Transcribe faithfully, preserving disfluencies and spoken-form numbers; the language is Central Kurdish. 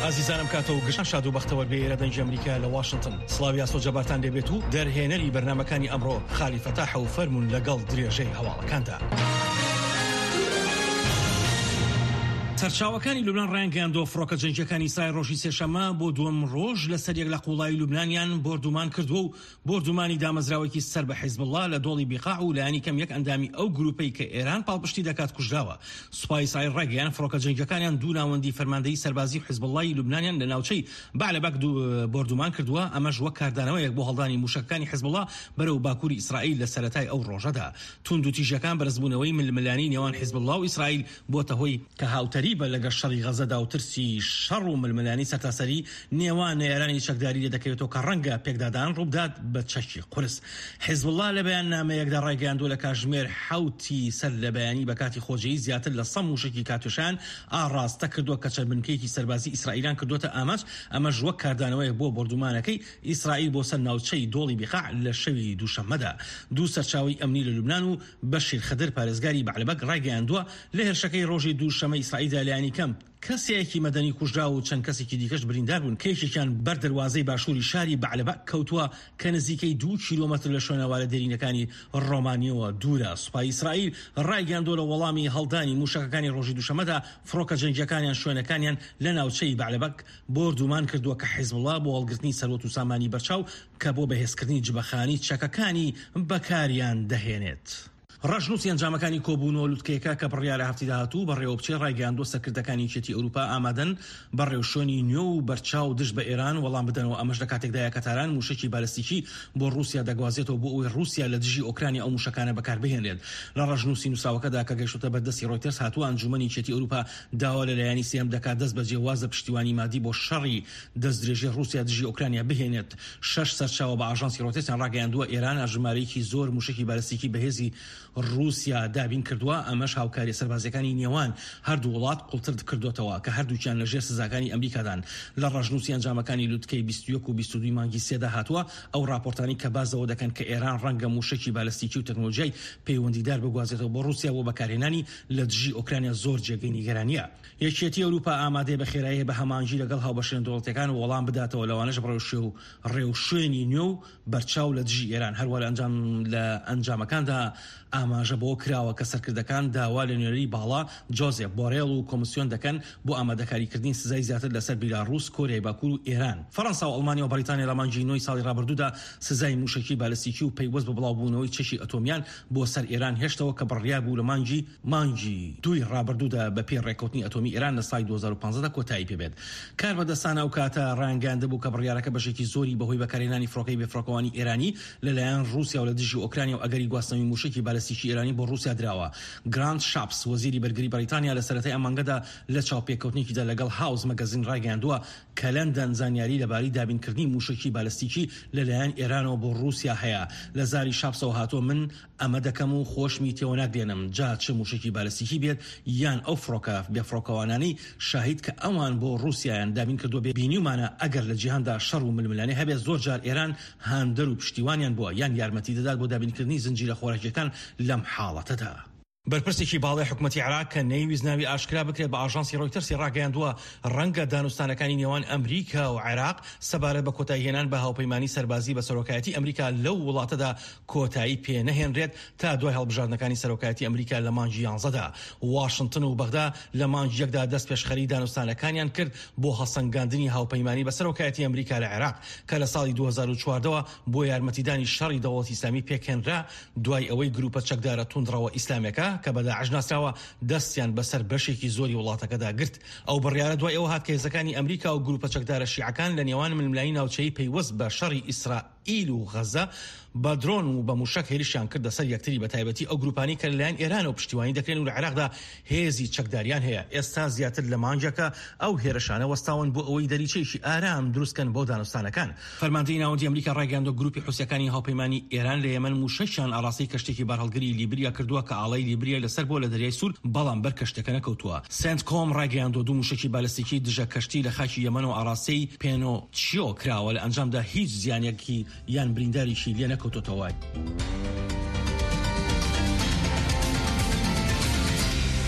ئازیزانم کاتەوە گشتان شاد و بەختەوەر بێ. ئێرە دەنگی ئەمریکا لە واشنگتن. سڵاوی ئاسۆ جەبارتان لێبێت و دەرهێنەری بەرنامەکانی ئەمڕۆ خالی فەتاح و فەرمونون لەگەڵ درێژەی هەواڵەکاندا. سەرچاوەکانی لوبنان ڕایانگەیاندووە فڕۆکە جەنگیەکانی ئیسرائیل ڕۆژی سێشەممە بۆ دووەم ڕۆژ لەسەر یەک لە قوڵایی لوبنانیان بۆردومان کردووە و بۆردومانی دامەزراوێکی سەر بە حیزبوڵڵا لە دۆڵی بیقاع و لایەنی کەم یەک ئەندامی ئەو گروپەی کە ئێران پاڵپشتی دەکات کوژراوە. سوپای ئیسرائیل ڕایگەیاند فڕۆکە جەنگیەکانیان دوو ناوەندی فەرماندەیی سەربازی حیزبوڵڵای لوبنانیان لە ناوچەی بەعلەبەک بۆردومان کردووە، ئەمەش وەک کاردانەوەیەک بۆ هەڵدانی موشەکەکانی حیزبوڵڵا بەرەو باکووری ئیسرائیل لە سەرەتای ئەو ڕۆژەدا. توندوتیژیەکان بەرزبوونەوەی ململانێی نێوان حیزبوڵڵا و ئیسرائیل بۆتە هۆی کە هاوتەریبە لەگەڵ شەڕی غەزەدا و ترسی شەڕ و ململانێی سەرتاسەری نێوان نەیارانی چەکداری لێ دەکەوێتەوە کە ڕەنگە پێکدادان ڕووبدات بە چەکی قورس. حیزبوڵڵا لە بەیاننامەیەکدا ڕایگەیاندووە لە کاتژمێر حەوتی سەر لە بەیانی بە کاتی خۆجێی زیاتر لە سەد موشەکی کاتیوشایان ئاڕاستە کردووە کە چەند بنکەیەکی سەربازی ئیسرائیلیان کردووەتە ئامانج، ئەمەش وەک کاردانەوەیەک بۆ بۆردومانەکەی ئیسرائیل بۆ سەر ناوچەی دۆڵی بیقاع لە شەوی دووشەممەدا. دوو سەرچاوەی ئەمنی لە لوبنان و بەشیر خدر پارێزگاری بەعلەبەک ڕایگەیاندووە لە هێرشەکەی ڕۆژی دووشەممە ئیسرائیلدا لایەنی کەم کەسێکی مەدەنی کوژرا و چەند کەسێکی دیکەش بریندار بوون کە یەکێکیان بەر دەروازەی باشووری شاری بەعلەبەک کەوتووە کە نزیکەی دوو کیلۆمەتر لە شوێنەوارە دێرینەکانی ڕۆمانیەوە دوورە. سوپای ئیسرائیل ڕایگەیاندووە لە وەڵامی هەڵدانی موشەکەکانی ڕۆژی دووشەممەدا فڕۆکە جەنگیەکانیان شوێنەکانیان لە ناوچەی بەعلەبەک بۆردومان کردووە کە حیزبوڵڵا بۆ هەڵگرتنی سەروەت و سامانی بەرچاو کە بۆ بەهێزکردنی جبەخانی چەکەکانی بەکاریان دەهێنێت. ڕەشنووسی ئەنجامەکانی کۆبوونەوە لوتکەیەکە کە بڕیارە هەفتی داهاتوو بەڕێوە بچێت ڕایگەیاندووە سەرکردەکانی یەکێتی ئەوروپا ئامادەن بە ڕێوشوێنی نوێ و بەرچاو دژ بە ئێران وەڵام بدەنەوە، ئەمەش لە کاتێکدایە کە تاران موشەکی بالستیکی بۆ ڕووسیا دەگوازێتەوە بۆ ئەوەی ڕووسیا لە دژی ئۆکرانیا ئەو موشەکانە بەکاربهێنرێت. لە ڕەشنووسی نووسراوەکەدا کە گەیشتۆتە بەردەستی ڕۆیتەرز هاتووە ئەنجومەنی یەکێتی ئەوروپا داوا لە لایەنی سێیەم دەکات دەست بەجێ واز لە پشتیوانی مادی بۆ شەڕی دەستدرێژی ڕووسیا دژی ئۆکرانیا بهێنێت. شەش سەرچاوە بە ئاژانسی ڕۆیتەرزیان ڕاگەیاندووە ئێران ژمارەیەکی زۆر موشەکی بالستیکی بەهێزی ڕووسیا دابین کردووە، ئەمەش هاوکاریە سەربازیەکانی نێوان هەردوو وڵات قوڵتر کردوتەوە کە هەردووکیان لەژێر سزاکانی ئەمریکادان. لە ڕەشنووسی ئەنجامەکانی لوتکەی بیست و یەک و بیست و دوو مانگی سێدا هاتووە ئەو راپۆرتانی کە بازەوە دەکەن کە ئێران ڕەنگە موشەکی بالستیکی و تەکنۆلۆژیای پەیوەندیدار بگوازێتەوە بۆ ڕووسیا بۆ بەکارهێنانی لە دژی ئۆکرانیا زۆر جێگەی نیگەرانیە. یەکێتی ئەوروپا ئامادەیە بە خێرایی بە هەماهەنگی لەگەڵ هاوبەشە دەوڵەتەکان وەڵام بداتەوە، لەوانەش ڕێوشوێنی نوێ و بەرچاو لە دژی ئێران. هەروە لە ئەنجام لە ئەنجامەکاندا ئاماژە بۆ کراوە کە سەرکردەکان داوا لە نوێنەری باڵا جۆزێف بۆرێل و کۆمیسیۆن دەکەن بۆ ئامادەکاریکردنی سزای زیاتر لەسەر بیلاڕوس، کۆریای باکوور و ئێران. فەرەنسا و ئەڵمانیا و بەریتانیا لە مانگی نۆی ساڵی ڕابردوودا سزای موشەکی بالستیکی و پەیوەست بە بڵاوبوونەوەی چەکی ئەتۆمیان بۆ سەر ئێران هێشتەوە کە بڕیار بوو لە مانگی مانگی دووی ڕابردوودا بە پێی ڕێککەوتنی ئەتۆمی ئێران لە ساڵی دوو هەزار و پازدە کۆتایی پێبێت. کاربەدەستان ئەو کاتە ڕایانگەیاندبوو کە بڕیارەکە بەشێکی زۆری بەهۆی بەکارهێنانی فڕۆکەی بێفڕۆکەوانی ئێرانی لەلایەن ڕووسیا و لە دژی ئۆکرانیا و ئەگەری گواستنەوەی موشەکی بالستیکی ئێرانی بۆ ڕووسیا دراوە. گرانت شاپس وەزیری بەرگری بەریتانیا لە سەرەتای ئەم مانگەدا لە چاوپێکەوتنێکیدا لەگەڵ هاوس مەگەزین ڕایگەیاندووە کە لەندەن زانیاری لەبارەی دابینکردنی موشەکی بالستیکی لەلایەن ئێرانەوە بۆ ڕووسیا هەیە. لە زاری شاپسەوە هاتووە من ئەمە دەکەم و خۆشمی تێوە ناگرێنم، جا چ موشەکی بالستیکی بێت یان ئەو فڕۆکە بێفڕۆکەوانانەی شاهید کە ئەوان بۆ ڕووسیایان دابین کردووە. بینیومانە ئەگەر لە جیهاندا شەڕ و ململانێ هەبێت زۆر جار ئێران هاندەر و پشتیوانیان بووە یان یارمەتی دەدات بۆ دابینکردنی زنجیرە خۆراکیەکان لەم حاڵەتەدا. بەرپرسێکی باڵای حکوومەتی عێراق کە نەیویست ناوی ئاشکرا بکرێت بە ئاژانسی ڕۆیتەرسی ڕاگەیاندووە ڕەنگە دانوستانەکانی نێوان ئەمریکا و عێراق سەبارەت بە کۆتاییهێنان بە هاوپەیمانی سەربازی بە سەرۆکایەتی ئەمریکا لەو وڵاتەدا کۆتایی پێ نەهێنرێت تا دوای هەڵبژاردنەکانی سەرۆکایەتی ئەمریکا لە مانگی یانزەدا. واشنگتن و بەغدا لە مانگی یەکدا دەست پێشخەری دانوستانەکانیان کرد بۆ هەڵسەنگاندنی هاوپەیمانی بە سەرۆکایەتی ئەمریکا لە عێراق کە لە ساڵی دوو هەزار و چواردە بۆ یارمەتیدانی شەڕی دەوڵەتی ئیسلامی پێکهێنرا دوای ئەوەی گروپە چەکدارە توندڕەوە ئیسلامیەکە کە بە داعش ناسراوە دەستیان بەسەر بەشێکی زۆری وڵاتەکەدا گرت. ئەو بڕیارە دوای ئەوە هات کە هێزەکانی ئەمریکا و گروپە چەکدارە شیعەکان لە نێوان ململانێی ناوچەیی پەیوەست بە شەڕی ئیسرائیل و غەزە بە درۆن و بە موشەک هێرشیان کردە سەر یەکتری، بە تایبەتی ئەو گروپانی کە لەلایەن ئێرانەوە پشتیوانی دەکرێن و لە عێراقدا هێزی چەکداریان هەیە. ئێستا زیاتر لە مانگێکە ئەو هێرشانە وەستاون بۆ ئەوەی دەریچەیەکی ئارام دروستکەن بۆ دانوستانەکان. فەرماندەی ناوەندی ئەمریکا ڕایگەیاندووە گروپی حوسیەکانی هاوپەیمانی ئێران لە یەمەن موشەکیان ئاڕاستەی کەشتێکی بارهەڵگری لیبریا کردووە کە ئاڵای لیبریای لەسەر بووە لە دەریای سوور، بەڵام بەر کەشتەکە نەکەوتووە. سێنتکۆم ڕایگەیاندووە دوو موشەکی بالستیکی دژە کەشتی لە خاکی یەمەنەوە ئاڕاستەی پێنۆچیۆ کراوە، لە ئەنجامدا هیچ زیانێکی یان برینداریشی لێ نەکەوتۆتەوە.